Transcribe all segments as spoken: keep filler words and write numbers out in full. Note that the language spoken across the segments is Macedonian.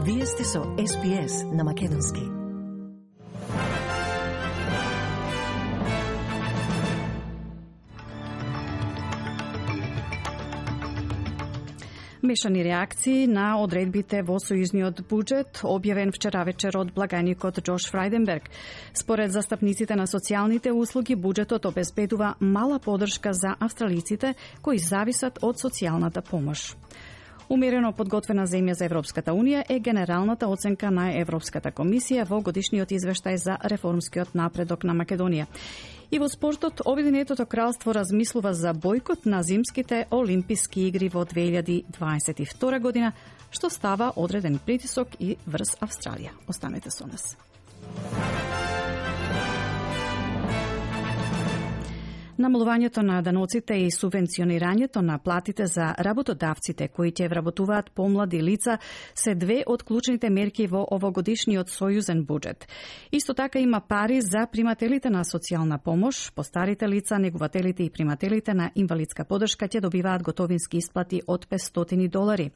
Вие сте со Ес Би Ес на Македонски. Мешани реакции на одредбите во сојузниот буџет, објавен вчера вечер од благајникот Џош Фрајденберг. Според застапниците на социјалните услуги, буџетот обезбедува мала подршка за австралиците кои зависат од социјалната помош. Умерено подготвена земја за Европската Унија е генералната оценка на Европската комисија во годишниот извештај за реформскиот напредок на Македонија. И во спортот, Обединетото кралство размислува за бојкот на зимските олимписки игри во две илјади дваесет и втора година, што става одреден притисок и врз Австралија. Останете со нас. Намалувањето на даноците и субвенционирањето на платите за работодавците кои ќе вработуваат помлади лица се две од клучните мерки во овогодишниот сојузен буџет. Исто така има пари за примателите на социјална помош, постарите лица, негувателите и примателите на инвалидска подршка ќе добиваат готовински исплати од петстотини долари.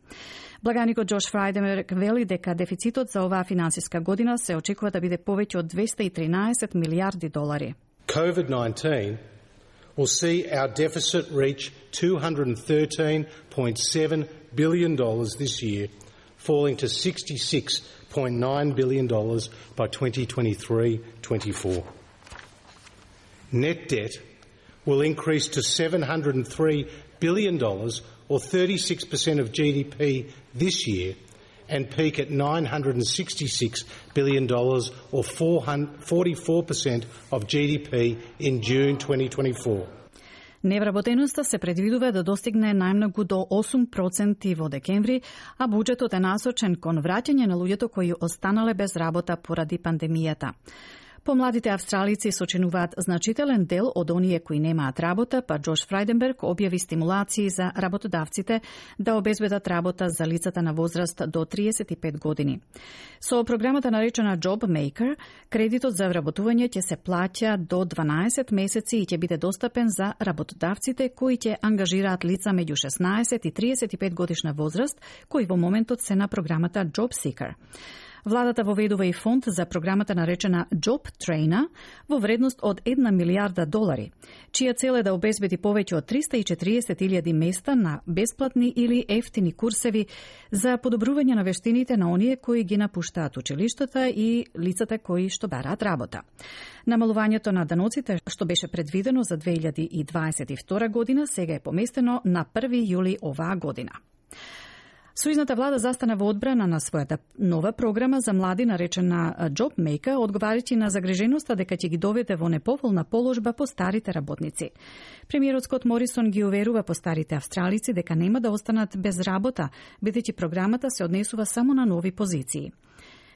Благаникот Џош Фрајденберг вели дека дефицитот за оваа финансиска година се очекува да биде повеќе од двесте и тринаесет милијарди долари. COVID nineteen will see our deficit reach two hundred thirteen point seven billion dollars this year, falling to sixty-six point nine billion dollars by twenty twenty-three twenty-four. Net debt will increase to seven hundred three billion dollars, or thirty-six percent of G D P this year, and peak at nine hundred sixty-six billion dollars, or forty-four percent of G D P in June twenty twenty-four. Невработеноста се предвидува да достигне најмногу до осум проценти во декември, а буџетот е насочен кон враќање на луѓето кои останале без работа поради пандемијата. Помладите австралици сочинуваат значителен дел од оние кои немаат работа, па Џош Фрајденберг објави стимулации за работодавците да обезбедат работа за лицата на возраст до триесет и пет години. Со програмата наречена Job Maker, кредитот за вработување ќе се плаќа до дванаесет месеци и ќе биде достапен за работодавците кои ќе ангажираат лица меѓу шеснаесет и триесет и пет годишна возраст, кои во моментот се на програмата Job Seeker. Владата воведува и фонд за програмата наречена Job Trainer во вредност од една милијарда долари, чија цел е да обезбеди повеќе од триста и четириесет илјади места на бесплатни или ефтини курсеви за подобрување на вештините на оние кои ги напуштаат училиштата и лицата кои што бараат работа. Намалувањето на даноците, што беше предвидено за две илјади дваесет и втора година, сега е поместено на први јули оваа година. Сојузната влада застана во одбрана на својата нова програма за млади наречена Job Maker, одговарајќи на загриженоста дека ќе ги доведе во неповолна положба по старите работници. Премиерот Скот Морисон ги уверува по старите австралици дека нема да останат без работа, бидејќи програмата се однесува само на нови позиции.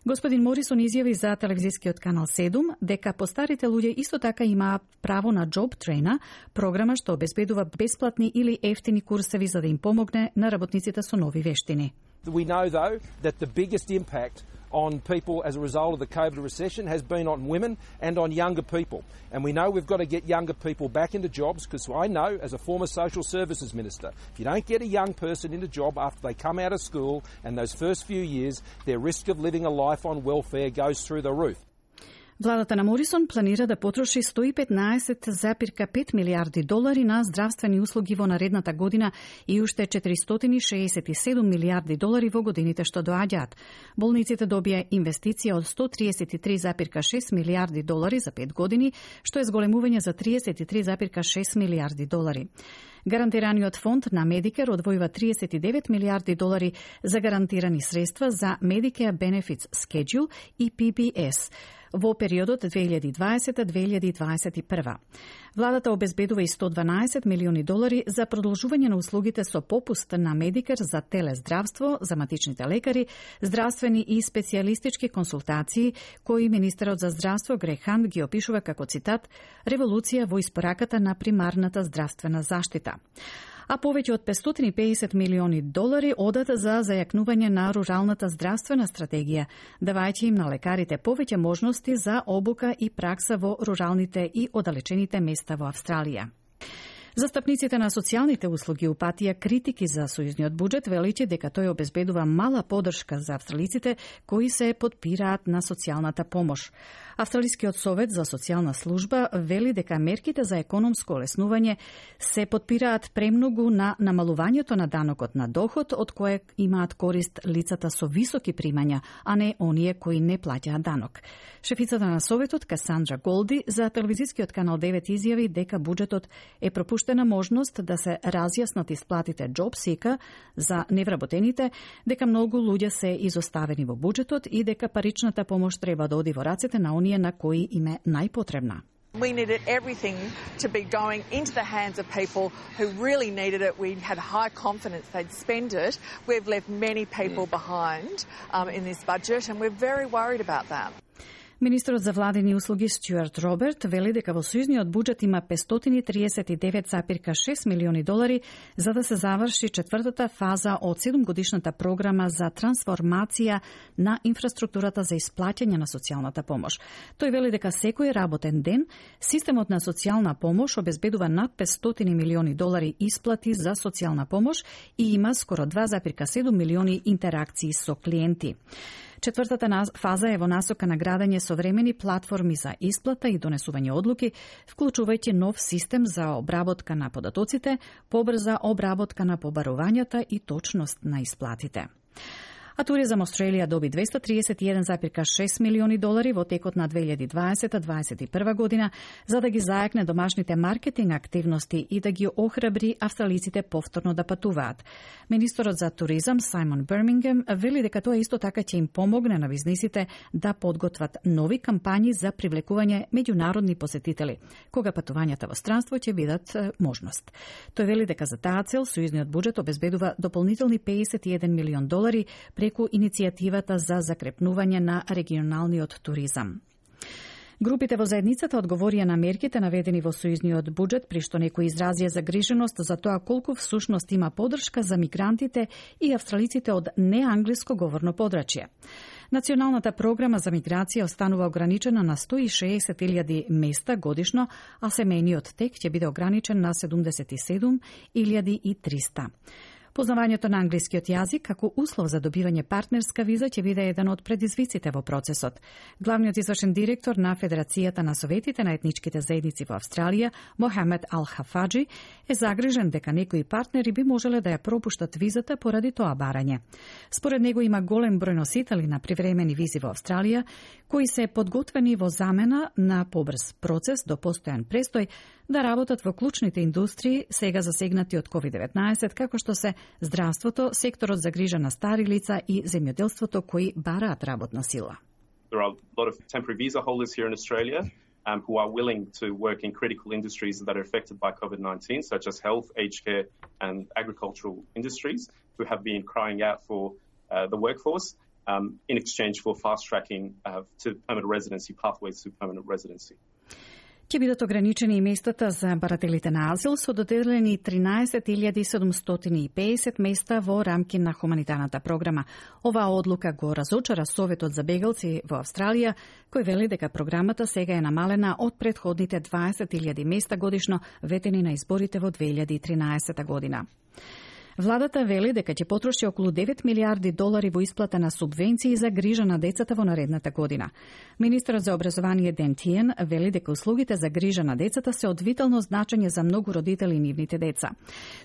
Господин Морисон изјави за телевизискиот канал седум дека постарите луѓе исто така имаат право на Job Trainer, програма што обезбедува бесплатни или ефтини курсеви за да им помогне на работниците со нови вештини. We know though that the biggest impact on people as a result of the COVID recession has been on women and on younger people. And we know we've got to get younger people back into jobs, because I know, as a former social services minister, if you don't get a young person into a job after they come out of school and those first few years, their risk of living a life on welfare goes through the roof. Владата на Морисон планира да потроши сто и петнаесет зарез пет милијарди долари на здравствени услуги во наредната година и уште четиристотини шеесет и седум милијарди долари во годините што доаѓаат. Болниците добија инвестиција од сто триесет и три зарез шест милијарди долари за пет години, што е зголемување за триесет и три зарез шест милијарди долари. Гарантираниот фонд на Medicare одвојува триесет и девет милијарди долари за гарантирани средства за Medicare Benefits Schedule и P B S во периодот две илјади дваесета до две илјади дваесет и прва. Владата обезбедува и сто дванаесет милиони долари за продолжување на услугите со попуст на Medicare за телездравство, за матичните лекари, здравствени и специјалистички консултации, кои министерот за здравство Грег Хант ги опишува како цитат револуција во испораката на примарната здравствена заштита. А повеќе од петстотини и педесет милиони долари одат за зајакнување на руралната здравствена стратегија, давајќи им на лекарите повеќе можности за обука и пракса во руралните и оддалечените места во Австралија. Застапниците на социјалните услуги упатија критики за сојузниот буџет, велејќи дека тој обезбедува мала поддршка за австралиците кои се подпираат на социјалната помош. Австралискиот совет за социјална служба вели дека мерките за економско олеснување се подпираат премногу на намалувањето на данокот на доход, од кое имаат корист лицата со високи примања, а не оние кои не плаќаат данок. Шефицата на советот Касандра Голди за телевизискиот канал девет изјави дека буџетот е пропуштена можност да се разјаснат исплатите JobSeeker за невработените, дека многу луѓе се изоставени во буџетот и дека паричната помош треба да оди во рацете на оние на кои им е најпотребна. We needed everything to be going into the hands of people who really needed it. We had high confidence they'd spend it. We've left many people behind um, in this budget, and we're very worried about that. Министерот за владени услуги Стюарт Роберт вели дека во сојузниот буџет има петстотини и триесет и девет запирка шест милиони долари за да се заврши четвртата фаза од седумгодишната програма за трансформација на инфраструктурата за исплаќање на социјалната помош. Тој вели дека секој работен ден системот на социјална помош обезбедува над петстотини милиони долари исплати за социјална помош и има скоро два запирка седум милиони интеракции со клиенти. Четвртата фаза е во насока на градење современи платформи за исплата и донесување одлуки, вклучувајќи нов систем за обработка на податоците, побрза обработка на побарувањата и точност на исплатите. А Туризам Австралија доби двесте триесет и еден запирка шест милиони долари во текот на две илјади дваесета - дваесет и прва година за да ги зајакне домашните маркетинг активности и да ги охрабри австралиците повторно да патуваат. Министерот за туризам Сајмон Бирмингем вели дека тоа исто така ќе им помогне на бизнисите да подготват нови кампањи за привлекување меѓународни посетители, кога патувањата во странство ќе бидат можност. Тој вели дека за таа цел сојузниот буџет обезбедува дополнителни педесет и еден милион долари преку иницијативата за закрепнување на регионалниот туризам. Групите во заедницата одговорија на мерките наведени во сојузниот буџет, при што некои изразија загриженост за тоа колку всушност има поддршка за мигрантите и австралиците од неанглиско говорно подрачје. Националната програма за миграција останува ограничена на сто и шеесет илјади места годишно, а семејниот тек ќе биде ограничен на седумдесет и седум илјади и триста. Познавањето на англискиот јазик како услов за добивање партнерска виза ќе биде еден од предизвиците во процесот. Главниот извршен директор на Федерацијата на советите на етничките заедници во Австралија, Мохамед Ал-Хафаджи, е загрижен дека некои партнери би можеле да ја пропуштат визата поради тоа барање. Според него има голем број носители на привремени визи во Австралија, кои се подготвени во замена на побрз процес до постојан престој да работат во клучните индустрии сега засегнати од ковид деветнаесет, како што се здравството, секторот за грижа на стари лица и земјоделството кои бараат работна сила. There are a lot of temporary visa holders here in Australia um, who are willing to work in critical industries that are affected by COVID nineteen, such as health, aged care and agricultural industries, who have been crying out for uh, the workforce um, in exchange for fast-tracking uh, to permanent residency, pathways to permanent residency. Ќе бидат ограничени и местата за барателите на азил со доделени тринаесет илјади седумстотини и педесет места во рамки на хуманитарната програма. Оваа одлука го разочара Советот за бегалци во Австралија, кој вели дека програмата сега е намалена од претходните дваесет илјади места годишно ветени на изборите во две илјади и тринаесета година. Владата вели дека ќе потроши околу девет милиарди долари во исплата на субвенции за грижа на децата во наредната година. Министерот за образование Ден Тиен вели дека услугите за грижа на децата се од витално значење за многу родители и нивните деца.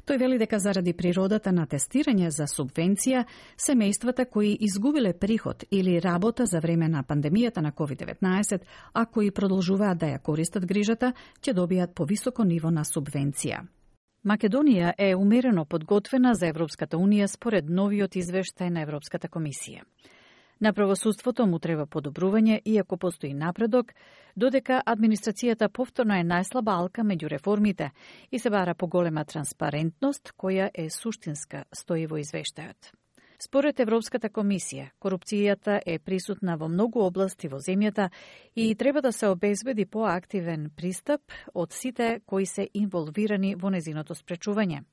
Тој вели дека заради природата на тестирање за субвенција, семејствата кои изгубиле приход или работа за време на пандемијата на ковид деветнаесет, а кои продолжуваат да ја користат грижата, ќе добијат повисоко ниво на субвенција. Македонија е умерено подготвена за Европската Унија според новиот извештај на Европската комисија. На правосудството му треба подобрување, иако постои напредок, додека администрацијата повторно е најслаба алка меѓу реформите и се бара поголема транспарентност, која е суштинска, стои во извештајот. Според Европската комисија, корупцијата е присутна во многу области во земјата и треба да се обезбеди поактивен пристап од сите кои се инволвирани во незиното спречување.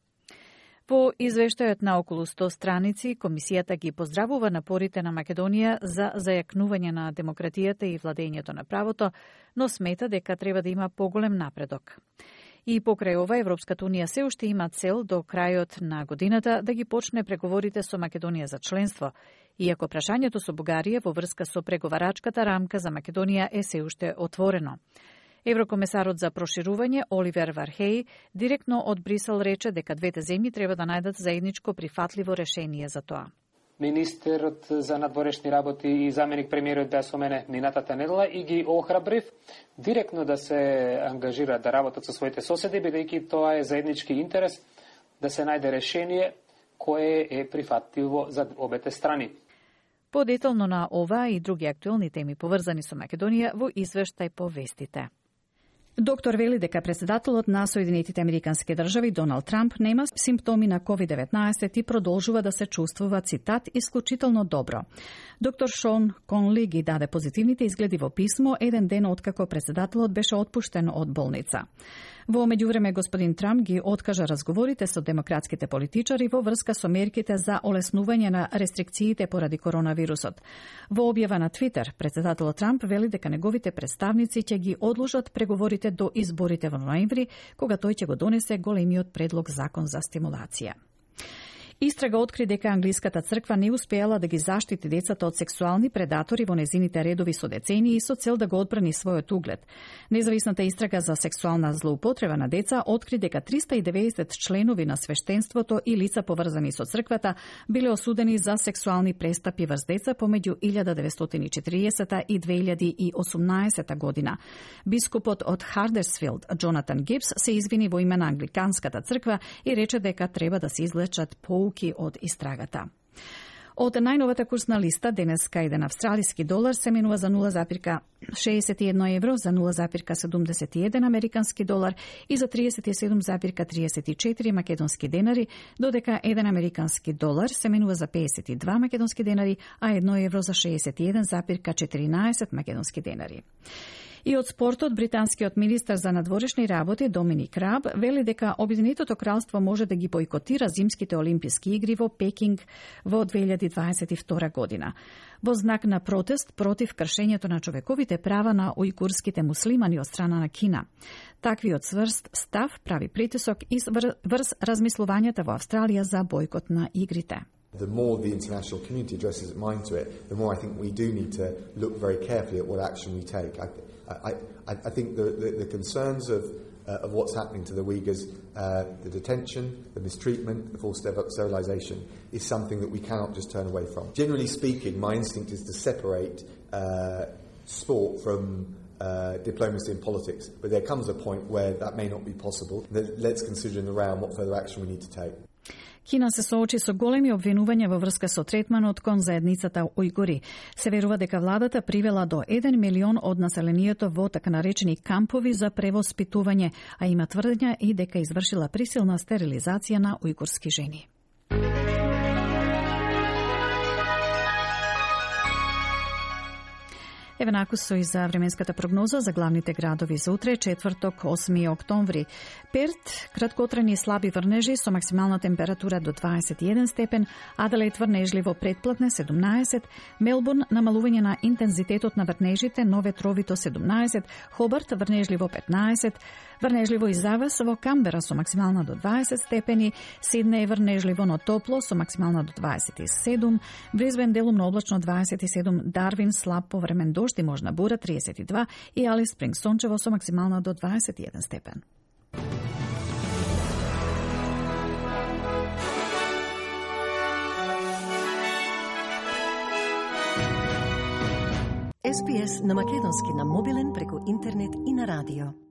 Во извештајот на околу сто страници, комисијата ги поздравува напорите на Македонија за зајакнување на демократијата и владењето на правото, но смета дека треба да има поголем напредок. И покрај ова, Европската унија се уште има цел до крајот на годината да ги почне преговорите со Македонија за членство, иако прашањето со Бугарија во врска со преговарачката рамка за Македонија е се уште отворено. Еврокомесарот за проширување Оливер Вархеј директно од Брисел рече дека двете земји треба да најдат заедничко прифатливо решение за тоа. Министерот за надворешни работи и заменик премиерот беа со мене минатата недела и ги охрабрив директно да се ангажираат да работат со своите соседи, бидејќи тоа е заеднички интерес да се најде решение кое е прифатливо за обете страни. Подетално на ова и други актуелни теми поврзани со Македонија во извештај по вестите. Доктор вели дека председателот на Соединетите Американски држави Доналд Трамп нема симптоми на ковид деветнаесет и продолжува да се чувствува, цитат, исклучително добро. Доктор Шон Конли ги даде позитивните изгледи во писмо еден ден откако председателот беше отпуштен од болница. Во меѓувреме господин Трамп ги откажа разговорите со демократските политичари во врска со мерките за олеснување на рестрикциите поради коронавирусот. Во објава на Твитер, председателот Трамп вели дека неговите представници ќе ги одложат преговорите до изборите во ноември, кога тој ќе го донесе големиот предлог закон за стимулација. Истрага откри дека англиската црква не успеала да ги заштити децата од сексуални предатори во незините редови со децении со цел да го одбрани својот углед. Независната истрага за сексуална злоупотреба на деца откри дека триста и деветдесет членови на свештенството и лица поврзани со црквата биле осудени за сексуални престапи врз деца помеѓу илјада деветстотини и четириесета и две илјади и осумнаесета година. Бискупот од Хардерсфилд, Джонатан Гибс, се извини во име на англиканската црква и рече дека треба да се извлечат по од истрагата. Од најновата курсна листа, денеска еден австралиски долар се менува за нула зарез шеесет и едно евро, за нула зарез седумдесет и еден американски долар и за триесет и седум зарез триесет и четири македонски денари, додека еден американски долар се менува за пеесет и два македонски денари, а едно евро за шеесет и еден зарез четиринаесет македонски денари. И од спортот, британскиот министер за надворешни работи Доминик Раб вели дека Обединетото кралство може да ги бойкотира зимските олимписки игри во Пекинг во две илјади дваесет и втора година. Во знак на протест против кршењето на човековите права на ујгурските муслимани од страна на Кина. Таквиот цврст став прави притисок и врз размислувањата во Австралија за бойкот на игрите. The more the international community addresses its mind to it, the more I think we do need to look very carefully at what action we take. I, I, I, I think the, the, the concerns of, uh, of what's happening to the Uyghurs, uh, the detention, the mistreatment, the forced sterilisation, is something that we cannot just turn away from. Generally speaking, my instinct is to separate uh, sport from uh, diplomacy and politics, but there comes a point where that may not be possible. Let's consider in the round what further action we need to take. Кина се соочи со големи обвинувања во врска со третманот кон заедницата ујгури. Се верува дека владата привела до еден милион од населението во така наречени кампови за превоспитување, а има тврдења и дека извршила присилна стерилизација на ујгурски жени. Еве накусо и за временската прогноза за главните градови за утре, четврток, осми октомври. Перт, краткотрени и слаби врнежи со максимална температура до дваесет и еден степен, Аделаид врнежливо предплатне седумнаесет, Мелбурн намалување на интензитетот на врнежите, но ветровито седумнаесет, Хобарт врнежливо петнаесет, врнежливо и завес во Камбера со максимална до дваесет степени, Сиднеј врнежливо но топло со максимална до дваесет и седум, Брисбен делумно облачно дваесет и седум, Дарвин слаб повремен дожд и можна бура триесет и два и Алис Спринг сончево со максимална до дваесет и еден степен. Ес Би Ес на македонски на мобилен преку интернет и на радио.